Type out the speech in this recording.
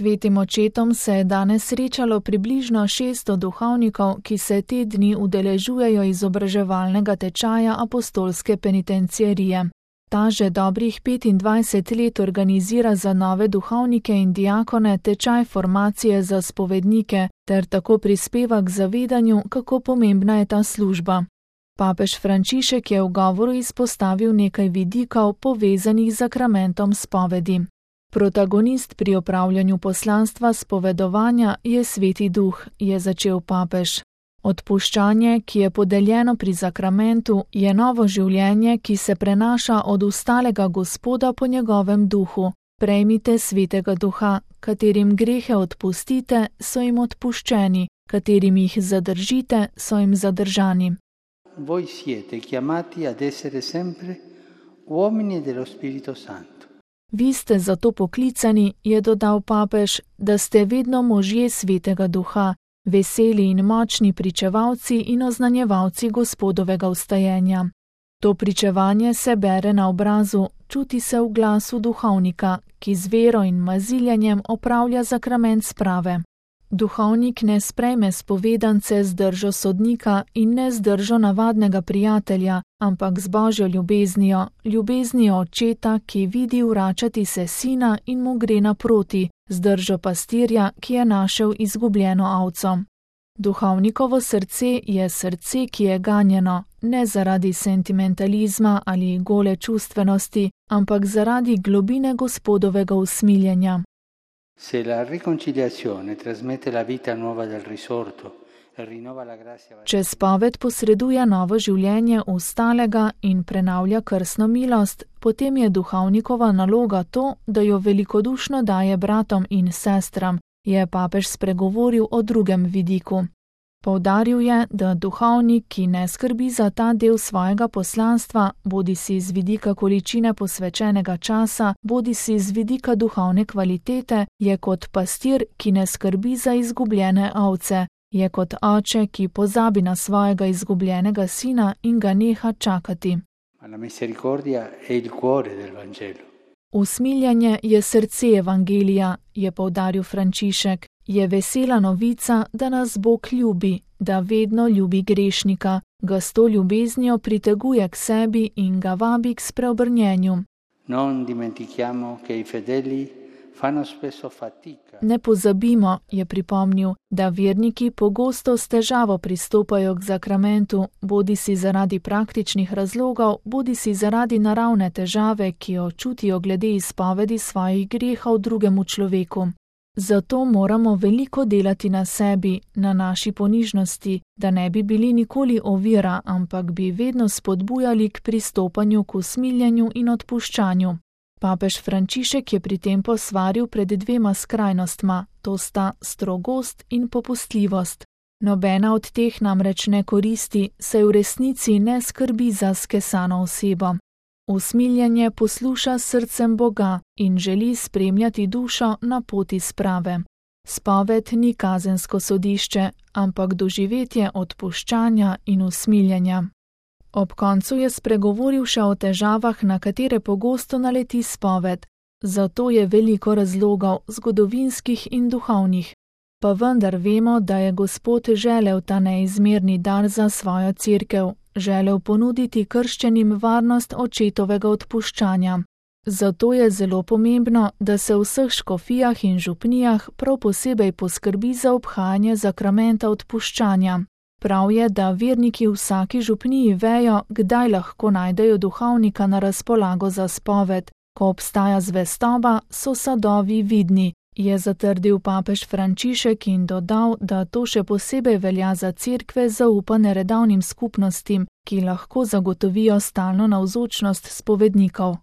Svetim očetom se je danes srečalo približno 600 duhovnikov, ki se te dni udeležujejo izobraževalnega tečaja apostolske penitenciarije. Ta že dobrih 25 let organizira za nove duhovnike in diakone tečaj formacije za spovednike ter tako prispeva k zavedanju, kako pomembna je ta služba. Papež Frančišek je v govoru izpostavil nekaj vidikov povezanih z zakramentom spovedi. Protagonist pri opravljanju poslanstva spovedovanja je Sveti Duh, je začel papež. Odpuščanje, ki je podeljeno pri zakramentu, je novo življenje, ki se prenaša od ustalega Gospoda po njegovem duhu. Prejmite Svetega Duha, katerim grehe odpustite, so jim odpuščeni, katerim jih zadržite, so jim zadržani. Voi siete chiamati ad essere sempre uomini dello Spirito Santo. Vi ste zato poklicani, je dodal papež, da ste vedno možje Svetega Duha, veseli in močni pričevalci in oznanjevalci Gospodovega vstajenja. To pričevanje se bere na obrazu, čuti se v glasu duhovnika, ki z vero in maziljenjem opravlja zakrament sprave. Duhovnik ne sprejme spovedance z držo sodnika in ne z držo navadnega prijatelja, ampak z Božjo ljubeznijo, ljubeznijo očeta, ki vidi vračati se sina in mu gre naproti, z držo pastirja, ki je našel izgubljeno ovco. Duhovnikovo srce je srce, ki je ganjeno, ne zaradi sentimentalizma ali gole čustvenosti, ampak zaradi globine Gospodovega usmiljenja. Se la riconciliazione trasmette la vita nuova del risorto e rinnova la grazia. Če spoved posreduje novo življenje ustalega in prenavlja krstno milost, potem je duhovnikova naloga to, da jo velikodušno daje bratom in sestram, je papež spregovoril o drugem vidiku. Poudaril je, da duhovnik, ki ne skrbi za ta del svojega poslanstva, bodisi z vidika količine posvečenega časa, bodisi z vidika duhovne kvalitete, je kot pastir, ki ne skrbi za izgubljene ovce, je kot oče, ki pozabi na svojega izgubljenega sina in ga neha čakati. La misericordia è il cuore del Vangelo. Usmiljenje je srce evangelija, je poudaril Frančišek. Je vesela novica, da nas Bog ljubi, da vedno ljubi grešnika, ga s to ljubeznijo priteguje k sebi in ga vabi k spreobrnjenju. Non dimentichiamo che i fedeli fanno spesso fatica. Ne pozabimo, je pripomnil, da verniki pogosto s težavo pristopajo k zakramentu, bodisi zaradi praktičnih razlogov, bodisi zaradi naravne težave, ki jo čutijo glede izpovedi svojih grehov drugemu človeku. Zato moramo veliko delati na sebi, na naši ponižnosti, da ne bi bili nikoli ovira, ampak bi vedno spodbujali k pristopanju k usmiljenju in odpuščanju. Papež Frančišek je pri tem posvaril pred dvema skrajnostma, to sta strogost in popustljivost. Nobena od teh namreč ne koristi, saj v resnici ne skrbi za skesano osebo. Usmiljenje posluša srcem Boga in želi spremljati dušo na poti sprave. Spoved ni kazensko sodišče, ampak doživetje odpuščanja in usmiljenja. Ob koncu je spregovoril še o težavah, na katere pogosto naleti spoved. Zato je veliko razlogov, zgodovinskih in duhovnih. Pa vendar vemo, da je Gospod želel ta neizmerni dar za svojo cerkev, želel ponuditi krščenim varnost očetovega odpuščanja. Zato je zelo pomembno, da se v vseh škofijah in župnijah prav posebej poskrbi za obhajanje zakramenta odpuščanja. Prav je, da verniki v vsaki župniji vejo, kdaj lahko najdejo duhovnika na razpolago za spoved. Ko obstaja zvestoba, so sadovi vidni, je zatrdil papež Frančišek in dodal, da to še posebej velja za cerkve zaupane redovnim skupnostim, ki lahko zagotovijo stalno navzočnost spovednikov.